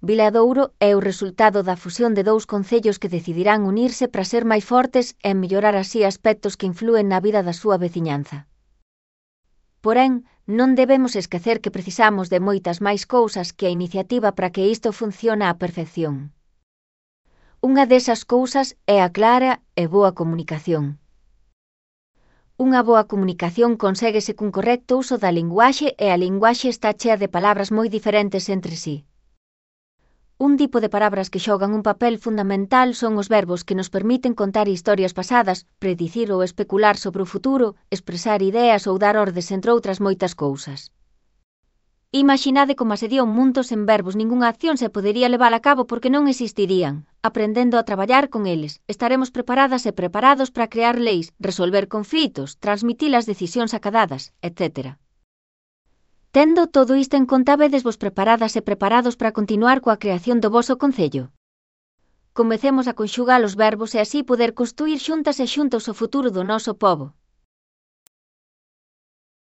Viladouro é o resultado da fusión de dous concellos que decidirán unirse para ser máis fortes e mellorar así aspectos que inflúen na vida da súa veciñanza. Porén, non debemos esquecer que precisamos de moitas máis cousas que a iniciativa para que isto funcione á perfección. Unha desas cousas é a clara e boa comunicación. Unha boa comunicación conséguese cun correcto uso da linguaxe e a linguaxe está chea de palabras moi diferentes entre sí. Un tipo de palabras que xogan un papel fundamental son os verbos que nos permiten contar historias pasadas, predicir ou especular sobre o futuro, expresar ideas ou dar ordes entre outras moitas cousas. Imaxinade como sería un mundo sen verbos, ningunha acción se podería levar a cabo porque non existirían. Aprendendo a traballar con eles, estaremos preparadas e preparados para crear leis, resolver conflitos, transmitir as decisións acadadas, etc. Tendo todo isto en conta, vedes vos preparadas e preparados para continuar coa creación do voso concello. Comecemos a conxugar os verbos e así poder construir xuntas e xuntos o futuro do noso pobo.